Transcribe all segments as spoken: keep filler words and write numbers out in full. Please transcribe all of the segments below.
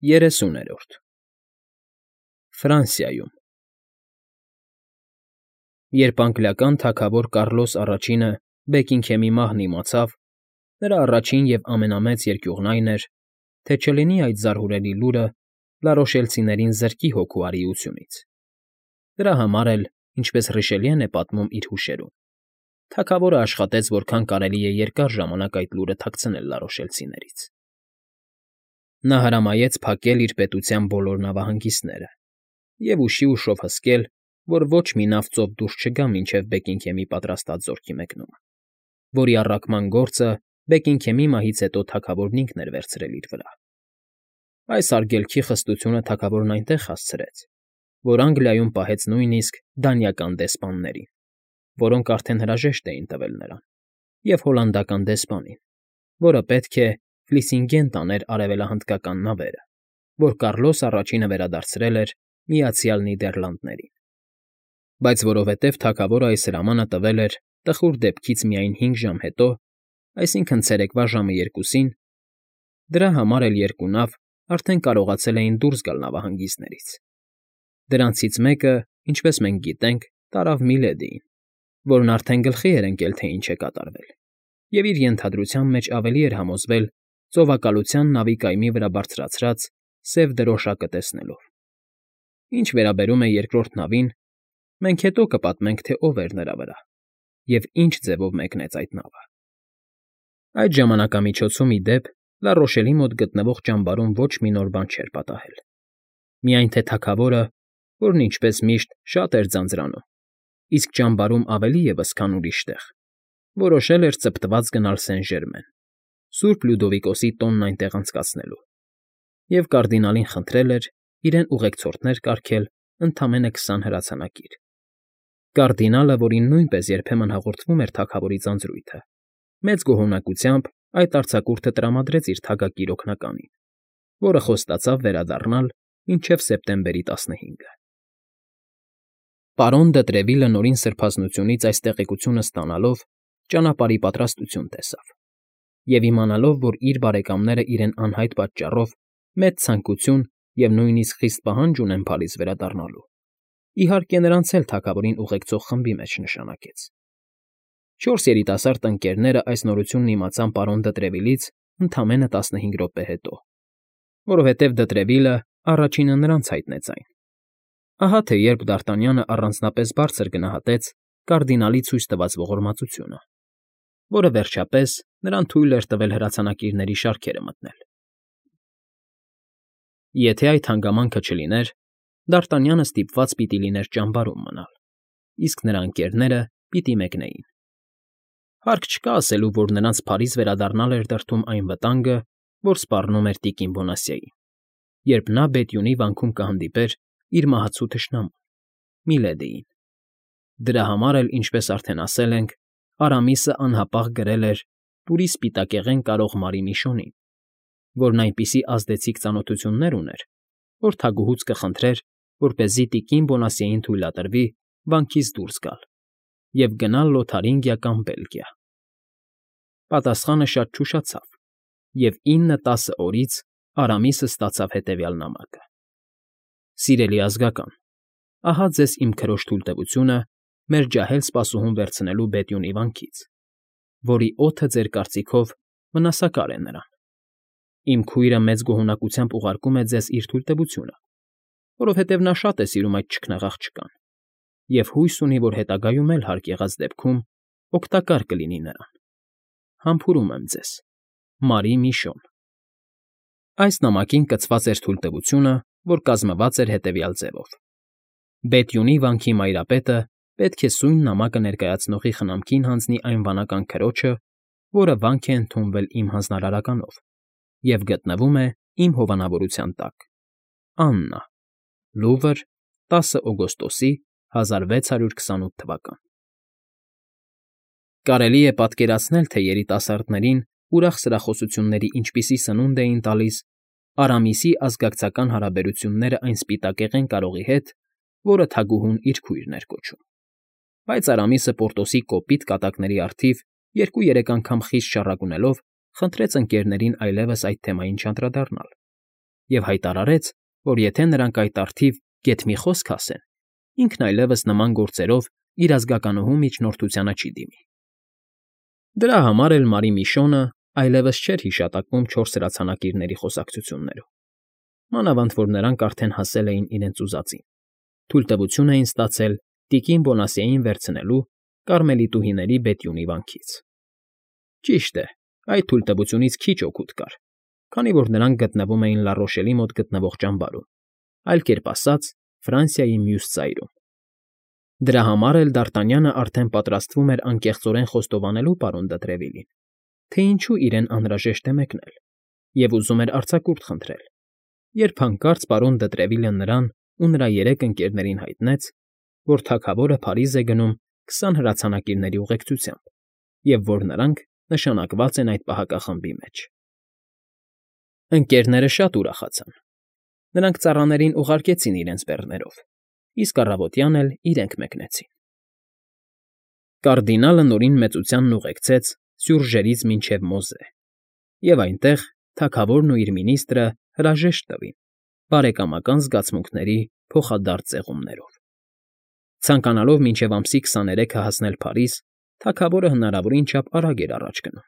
ԵՐԵՍՈՒՆԵՐՈՐԴ ՖՐԱՆՍԻԱՅՈՒՄ Երբ անգլիական թագավոր Կառլոս առաջինը Բեքինգհեմի մահն իմացավ, նրա առաջին և ամենամեծ երկյուղն այն էր, թե չլինի այդ զարհուրելի լուրը լարոշելցիներին զրկի հոգու արիությունից. դրա համար էլ, ինչպես Ռիշելիեն է պատմում իր հուշերում, թագավորը աշխատեց որքան կարելի է երկար ժամանակ այդ լուրը թաքցնել լարոշելցիներից. նա հրամայեց փակել իր պետության բոլոր նավահանգիստները և ուշի ուշով հսկել, որ ոչ մի նավ ծով դուրս չգա մինչև Բեքինգհեմի պատրաստած զորքի մեկնումը, որի առաքման գործը Բեքինգհեմի մահից հետո թագավորն ինքն էր վերցրել իր վրա. այս արգելքի խստությունը թագավորն այնտեղ հասցրեց, որ Անգլիայում պահեց նույնիսկ դանիական դեսպաններին, որոնք արդեն հրաժեշտ էին տվել նրան, և հոլանդական դեսպանին, որը պետք է Ֆլիսինգեն տաներ արևելահնդկական նավերը, որ Կառլոս առաջինը վերադարձրել էր Միացյալ Նիդերլանդներին, բայց որովհետև թագավորը այս հրամանը տվել էր տխուր դեպքից միայն հինգ ժամ հետո, այսինքն՝ ցերեկվա ժամը երկուսին, դրա համար էլ երկու նավ արդեն կարողացել էին դուրս գալ նավահանգիստներից. դրանցից մեկը, ինչպես մենք գիտենք, տարավ Միլեդիին, որն արդեն գլխի էր ընկել, թե ինչ է կատարվել, և իր ենթադրության մեջ ավելի էր համոզվել ծովակալության նավի կայմի վրա բարձրացրած սև դրոշակը տեսնելով. ինչ վերաբերում է երկրորդ նավին, մենք հետո կպատմենք, թե ով էր նրա վրա և ինչ ձևով մեկնեց այդ նավը. այդ ժամանակամիջոցում, ի դեպ, Լարոշելի մոտ գտնվող ճամբարում ոչ մի նոր բան չէր պատահել, միայն թե թագավորը, որն ինչպես միշտ շատ էր ձանձրանում, իսկ ճամբարում ավելի ևս, քան ուրիշ տեղ, որոշել էր ծպտված գնալ Սեն Ժերմեն, Սուրբ Լյուդովիկոսի տոնն այնտեղ անցկացնելու, և կարդինալին խնդրել էր իրեն ուղեկցորդներ կարգել ընդամենը քսան հրացանակիր. կարդինալը, որին նույնպես երբեմն հաղորդվում էր թագավորի ձանձրույթը, մեծ գոհունակությամբ այդ արձակուրդը տրամադրեց իր թագակիր օգնականին, որը խոստացավ վերադառնալ մինչև սեպտեմբերի տասնհինգը։ Պարոն դը Տրևիլը նորին սրբազնությունից այս տեղեկությունը ստանալով ճանապարհի պատրաստություն տեսավ, և իմանալով, որ իր բարեկամները իրեն անհայտ պատճառով մեծ ցանկություն և նույնիսկ խիստ պահանջ ունեն Փարիզ վերադառնալու, իհարկե նրանց էլ թագավորին ուղեկցող խմբի մեջ նշանակեց։ Չորս երիտասարդ ընկերները այս նորությունն իմացան պարոն դը Տրևիլից ընդամենը տասնհինգ րոպե հետո, որովհետև դը Տրևիլը առաջինը նրանց հայտնեց այն։ Ահա թե երբ Դ'Արտանյանը առանձնապես բարձր գնահատեց կարդինալի ցույց տված ողորմածությունը, որը, վերջապես, նրան թույլ էր տվել հրացանակիրների շարքերը մտնել։ Եթե այդ հանգամանքը չլիներ, Դ'Արտանյանը ստիպված պիտի լիներ ճամբարում մնալ, իսկ նրա ընկերները պիտի մեկնեին։ Հարկ չկա ասելու, որ նրանց Փարիզ վերադառնալ էր դրդում այն վտանգը, որ սպառնում էր տիկին Բոնասիային, երբ նա Բետյունի վանքում կհանդիպեր իր մահացու թշնամուն՝ Միլեդիին։ Դրա համար էլ, ինչպես արդեն ասել ենք, Արամիսը անհապաղ գրել էր պուրի սպիտակեղեն կարող Մարի Միշոնին, որն այնպիսի ազդեցիկ ծանոթություններ ուներ, որ թագուհուց կխնդրեր, որպեսզի տիկին Բոնասիեին թույլատրվի վանքից դուրս գալ և գնալ Լոթարինգիա կամ Բելգիա։ Պատասխանը շատ չուշացավ, և ինը֊տասը օրից Արամիսը ստացավ հետևյալ նամակը. «Սիրելի ազգական, ահա ձեզ իմ քրոջ թույլտվությունը մեր ջահել սպասուհուն վերցնելու Բետյունի վանքից, որի օդը ձեր կարծիքով վնասակար է նրան։ Իմ քույրը մեծ գոհունակությամբ ուղարկում է ձեզ իր թույլտվությունը, որովհետև նա շատ է սիրում այդ չքնաղ աղջկան և հույս ունի, որ հետագայում էլ հարկ եղած դեպքում օգտակար կլինի նրան։ Համբուրում եմ ձեզ, Մարի Միշոն»։ Այս նամակին կցված էր թույլտվությունը, որ կազմված էր հետևյալ ձևով. Բետյունի վանքի մայրապետը պետք է սույն նամակը ներկայացնողի խնամքին հանձնի այն վանական քրոջը, որը վանք է ընդունվել իմ հանձնարարականով և գտնվում է իմ հովանավորության տակ։ Աննա, Լուվր, տասը օգոստոսի հազար վեց հարյուր քսանութ թվական։ Կարելի է պատկերացնել, թե երիտասարդներին ուրախ սրախոսությունների ինչպիսի սնունդ էին տալիս Արամիսի ազգակցական հարաբերությունները այն սպիտակեղեն կարողի հետ, որը թագուհուն իր քույրն էր կոչում։ Բայց Արամիսը Պորտոսի կոպիտ կատակների առթիվ երկու֊երեք անգամ խիստ շառակունելով խնդրեց ընկերներին այլևս այդ թեմային չանդրադառնալ և հայտարարեց, որ եթե նրանք այդ առթիվ գեթ մի խոսք ասեն, ինքն այլևս նման գործերով իր ազգականուհու միջնորդությանը չի դիմի։ Դրա համար էլ Մարի Միշոնը այլևս չէր հիշատակվում չորս հրացանակիրների խոսակցություններում, մանավանդ որ նրանք արդեն հասել էին իրենց ուզածին, թույլտվություն էին ստացել տիկին Բոնասիեին վերցնելու կարմելիտուհիների Բետյունի վանքից։ Ճիշտ է, այդ թույլտվությունից քիչ օգուտ կար, քանի որ նրանք գտնվում էին Լառոշելի մոտ գտնվող ճամբարում, այլ կերպ ասած, Ֆրանսիայի մյուս ծայրում։ Դրա համար էլ Դարտանյանը արդեն պատրաստվում էր անկեղծորեն խոստովանելու պարոն դը Տրևիլին, թե ինչու իրեն անհրաժեշտ է մեկնել, և ուզում էր արձակուրդ խնդրել, երբ հանկարծ պարոն դը Տրևիլը նրան ու նրա երեք ընկերներին հայտնեց, որ թագավորը Փարիզ է գնում քսան հրացանակիրների ուղեկցությամբ, և որ նրանք նշանակված են այդ պահակախմբի մեջ։ Ընկերները շատ ուրախացան։ Նրանք ծառաներին ուղարկեցին իրենց բեռներով, իսկ առավոտյան էլ իրենք մեկնեցին։ Կարդինալը Նորին մեծությանն ուղեկցեց Սյուրջերից մինչև Մոզե, և այնտեղ թագավորն ու իր մինիստրը հրաժեշտ տվին բարեկամական զգացմունքների փոխադարձ ձեղումներով։ Ցանկանալով մինչև ամսի քսաներեքը հասնել Փարիզ, թագավորը հնարավորին չափ արագ էր առաջ գնում,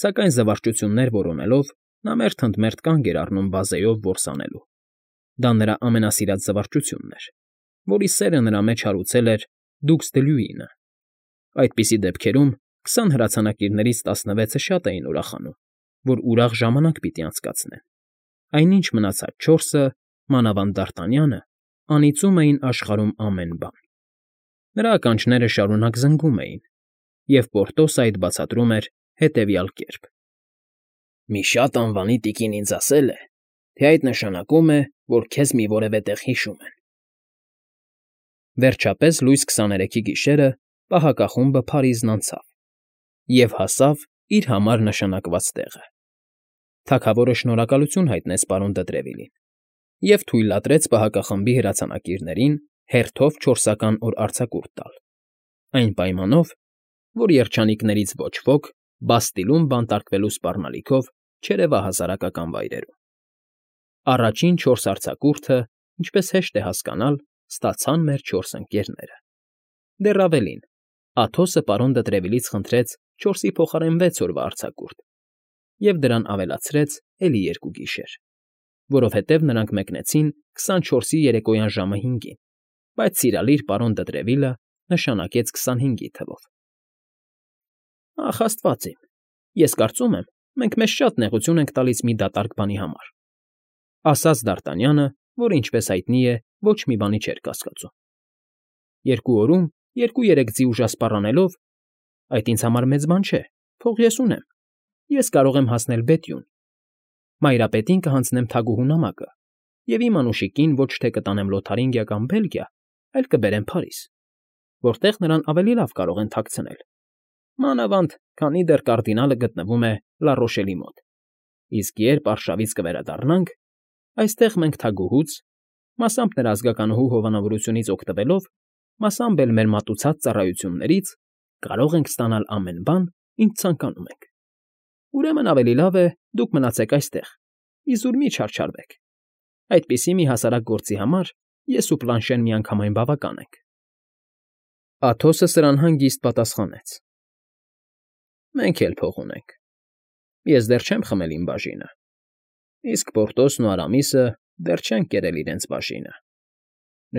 սակայն զվարճություններ որոնելով նա մերթ ընդ մերթ կանգ էր առնում բազեով որս անելու։ Դա նրա ամենասիրած զվարճությունն էր, որի սերը նրա մեջ հարուցել էր դուքս դը Լյուինը։ Այդպիսի դեպքերում քսան հրացանակիրներից տասնվեցը շատ էին ուրախանում, որ ուրախ ժամանակ պիտի անցկացնեն, այնինչ մնացած չորսը, մանավանդ Դարտանյանը, անիծում էին աշխարհում ամեն բան։ Նրա ականջները շարունակ զնգում էին, և Պորտոսը այդ բացատրում էր հետևյալ կերպ. «Մի շատ անվանի տիկին ինձ ասել է, թե այդ նշանակում է, որ քեզ մի որևէ տեղ հիշում են»։ Վերջապես լույս քսաներեքի գիշերը պահակախումբը Փարիզն անցավ և հասավ իր համար նշանակված տեղը։ Թագավորը շնորհակալություն հայտնեց պարոն դը Տրևիլին և թույլատրեց պահակախմբի հրացանակիրներին հերթով չորսական օր արձակուրդ տալ, այն պայմանով, որ երջանիկներից ոչ ոք Բաստիլում բանտարկվելու սպառնալիքով չերևահասարակական վայրերում։ Առաջին չորս արձակուրդը, ինչպես հեշտ է հասկանալ, ստացան մեր չորս ընկերները։ Դեռ ավելին, Աթոսը պարոն դը Տրևիլից խնդրեց չորսի փոխարեն վեց օրվա արձակուրդ և դրան ավելացրեց էլի երկու գիշեր, որովհետև նրանք մեկնեցին քսանչորսի երեկոյան ժամը հինգին, բայց սիրալիր պարոն դը Տրևիլը նշանակեց քսանհինգի թվով։ Ախ, աստված իմ, ես կարծում եմ, մենք մեզ շատ նեղություն ենք տալիս մի դատարկ բանի համար, ֊ ասաց Դարտանյանը, որը, ինչպես հայտնի է, ոչ մի բանի չէր կասկածում։ Երկու օրում երկու֊երեք ձի ուժասպառ անելով, այդ ինձ համար մեծ բան չէ, փող ես ունեմ, ես կարող եմ հասնել Բետյուն, Մայրապետին կհանձնեմ թագուհու նամակը և իմ անուշիկին ոչ թե կտանեմ Լոթարինգիա կամ Բելգիա, այլ կբերեմ Փարիզ, որտեղ նրան ավելի լավ կարող են թաքցնել, մանավանդ քանի դեռ կարդինալը գտնվում է Լառոշելի մոտ, իսկ երբ արշավից կվերադառնանք, այստեղ մենք թագուհուց, մասամբ նրա ազգականուհու հովանավորությունից օգտվելով, մասամբ էլ մեր մատուցած ծառայություններից կարող ենք ստանալ ամեն բան, ինչ ցանկանում ենք։ Ուրեմն ավելի լավ է դուք մնացեք այստեղ, իզուր մի չարչարվեք։ Այդպիսի մի հասարակ գործի համար ես ու Պլանշեն միանգամայն բավական ենք։ Աթոսը սրան հանգիստ պատասխանեց. Մենք էլ փող ունենք։ Ես դեռ չեմ խմել իմ բաժինը, իսկ Պորտոսն ու Արամիսը դեռ չեն կերել իրենց բաժինը։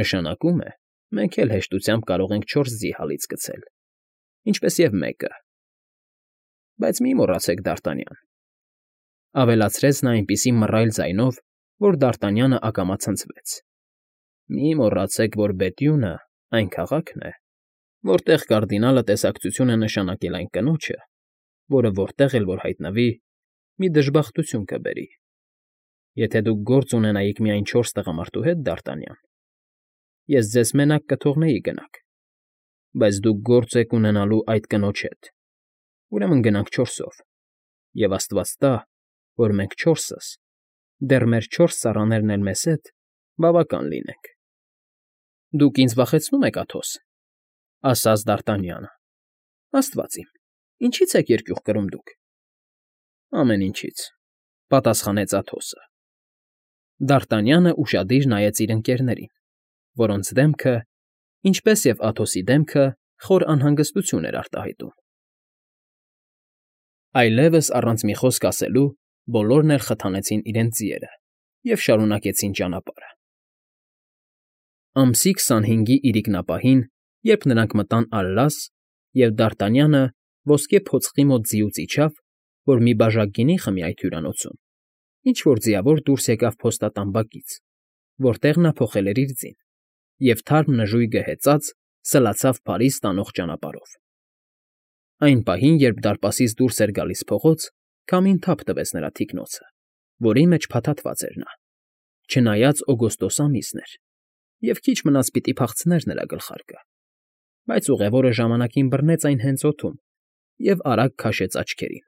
Նշանակում է, մենք էլ հեշտությամբ կարող ենք չորս ձի հալից գցել, ինչպես և մեկը։ Բայց մի մոռացեք, Դարտանյան, ֊ ավելացրեց նա այնպիսի մռայլ ձայնով, որ Դարտանյանը ակամա ցնցվեց, ֊ մի մոռացեք, որ Բետյունը այն քաղաքն է, որտեղ կարդինալը տեսակցություն է նշանակել այն կնոջը, որը որտեղ էլ որ հայտնվի, մի դժբախտություն կբերի։ Եթե դուք գործ ունենայիք միայն չորս տղամարդու հետ, Դարտանյան, ես ձեզ մենակ կթողնեի գնաք, բայց դուք գործ եք ունենալու այդ կնոջ հետ, ուրեմն գնանք չորսով, և աստված տա, որ մենք չորսս, դեռ մեր չորս ծառաներն էլ մեզ հետ, բավական լինենք։ ֊ Դուք ինձ վախեցնում եք, Աթոս, ֊ ասաց Դարտանյանը։ ֊ Աստված իմ, ինչի՞ց եք երկյուղ կրում դուք։ ֊ Ամեն ինչից, ֊ պատասխանեց Աթոսը։ Դարտանյանը ուշադիր նայեց իր ընկերներին, որոնց դեմքը, ինչպես և Աթոսի դեմքը, խոր անհանգստություն էր արտահայտում։ Այլևս առանց մի խոսք ասելու բոլորն էլ խթանեցին իրենց ձիերը և շարունակեցին ճանապարհը։ Ամսի քսանհինգի իրիկնապահին, երբ նրանք մտան Ալլաս, և Դարտանյանը ոսկե փոցխի մոտ ձիուց իջավ, որ մի բաժակ գինի խմի այդ հյուրանոցում, ինչ֊որ ձիավոր դուրս եկավ փոստատան բակից, որտեղ նա փոխել էր իր ձին, և թարմ նժույգը հեծած սլացավ Փարիզ տանող ճանապարհով։ Այն պահին, երբ դարպասից դուրս էր գալիս փողոց, քամին թափ տվեց նրա թիկնոցը, որի մեջ փաթաթված էր նա, չնայած օգոստոս ամիսն էր, և քիչ մնաց պիտի փախցներ նրա գլխարկը, բայց ուղևորը ժամանակին բռնեց այն հենց օդում և արագ քաշեց աչքերին։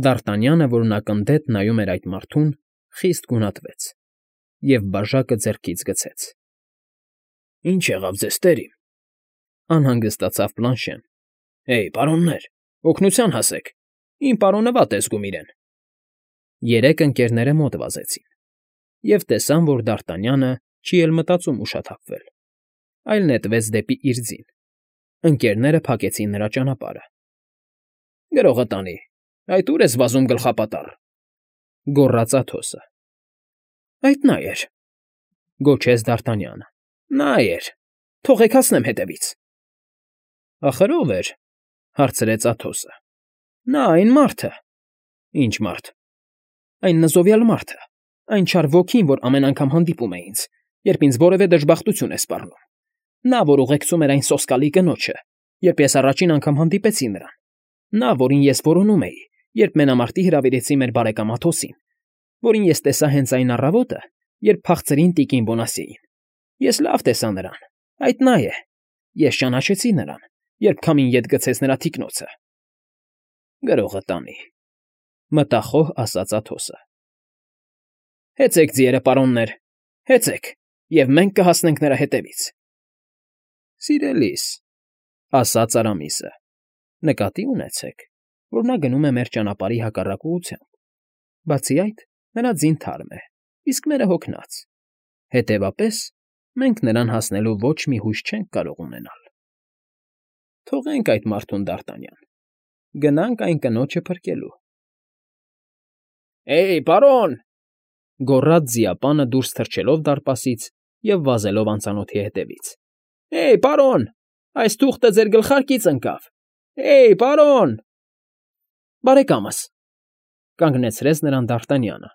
Դարտանյանը, որն ակնթեթ նայում էր այդ մարդուն, խիստ գունատվեց և բաժակը ձեռքից գցեց։ ֊ Ի՞նչ եղավ ձեզ, տերիմ,֊ անհանգստացավ Պլանշեն։ ֊ Հեյ, պարոններ, օգնության հասեք, իմ պարոնը վատ է զգում իրեն։ Երեք ընկերները մոտ վազեցին և տեսան, որ Դարտանյանը չի էլ մտածում ուշաթափվել, այլ նետվեց դեպի իր ձին։ Ընկերները փակեցին նրա ճանապարհը։ ֊ Գրողը տանի, այդ ո՞ւր ես վազում գլխապատառ,֊ գոռաց Աթոսը։ ֊ Այդ նա էր,֊ գոչեց Դարտանյանը։ ֊ Նա էր, թողեք հասնեմ հետևից։ ֊ Ախր ո՞վ էր,֊ հարցրեց Աթոսը։ ֊ Նա, այն մարդը։ ֊ Ի՞նչ մարդ։ ֊ Այն նզովյալ մարդը, այն չար ոգին, որ ամեն անգամ հանդիպում է ինձ, երբ ինձ որևէ դժբախտություն է սպառնում, նա, որ ուղեկցում էր այն սոսկալի կնոջը, երբ ես առաջին անգամ հանդիպեցի նրան, նա, որին ես որոնում էի, երբ մենամարտի հրավիրեցի մեր բարեկամ Աթոսին, որին ես տեսա հենց այն առավոտը, երբ փախցրին տիկին Բոնասիեին։ Ես լավ տեսա նրան, այդ նա է։ Ես ճանաչեցի նրան, երբ քամին ետ գցեց նրա թիկնոցը։ ֊ Գրողը տանի,֊ մտախոհ ասաց Աթոսը։ ֊ Հեծեք ձիերը, պարոններ, հեծեք, և մենք կհասնենք նրա հետևից։ ֊ Սիրելի՛ս,֊ ասաց Արամիսը,֊ նկատի ունեցեք, որ նա գնում է մեր ճանապարհի հակառակ ուղղությամբ, բացի այդ, նրա ձին թարմ է, իսկ մերը հոգնած, հետևաբար, մենք նրան հասնելու ոչ մի հույս չենք կարող ունենալ։ Թողենք այդ մարդուն, Դարտանյան, գնանք այն կնոջը փրկելու։ ֊ Հեյ, պարոն,֊ գոռաց ձիապանը դուրս թռչելով դարպասից և վազելով անծանոթի հետևից։ ֊ Հեյ, պարոն, այս թուղթը ձեր գլխարկից ընկավ։ Հեյ, պարոն… ֊ Բարեկամս,֊ կանգնեցրեց նրան Դարտանյանը,֊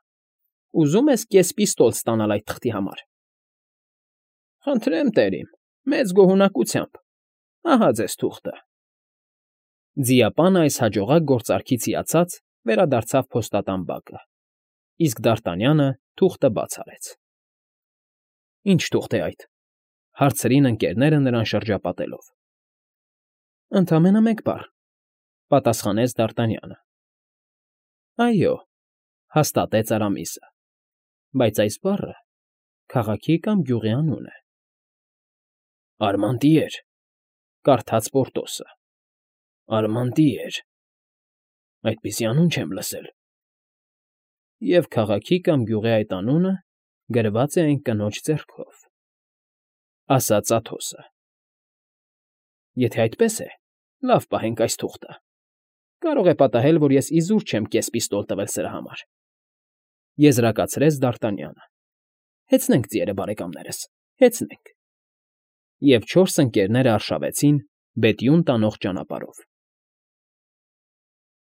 ուզում ես կես պիստոլ ստանալ այդ թղթի համար։ ֊ Խնդրեմ, տերիմ, մեծ գոհունակությամբ, ահա ձեզ թուղթը։ Ձիապանը այս հաջողակ գործարքից հիացած վերադարձավ փոստատան բակը, իսկ Դարտանյանը թուղթը բաց արեց։ ֊ Ի՞նչ թուղթ է այդ,֊ հարցրին ընկերները նրան շրջապատելով։ ֊ Ընդամենը մեկ բառ,֊ պատասխանեց Դարտանյանը։ ֊ Այո,֊ հաստատեց Արամիսը,֊ բայց այս բառը քաղաքի կամ գյուղի անուն է։ ֊ Արմանտիեր,֊ կարդաց Պորտոսը,֊ Արմանտիեր… Այդպիսի անուն չեմ լսել։ ֊ Եվ քաղաքի կամ գյուղի այդ անունը գրված է այն կնոջ ձեռքով,֊ ասաց Աթոսը։ ֊ Եթե այդպես է, լավ պահենք այս թուղթը, կարող է պատահել, որ ես իզուր չեմ կես պիստոլ տվել սրա համար,֊ եզրակացրեց Դարտանյանը։ ֊ Հեծնենք ձիերը, բարեկամներս, հեծնենք։ Եվ չորս ընկերները արշավեցին բետյուն տանող ճանապարհով։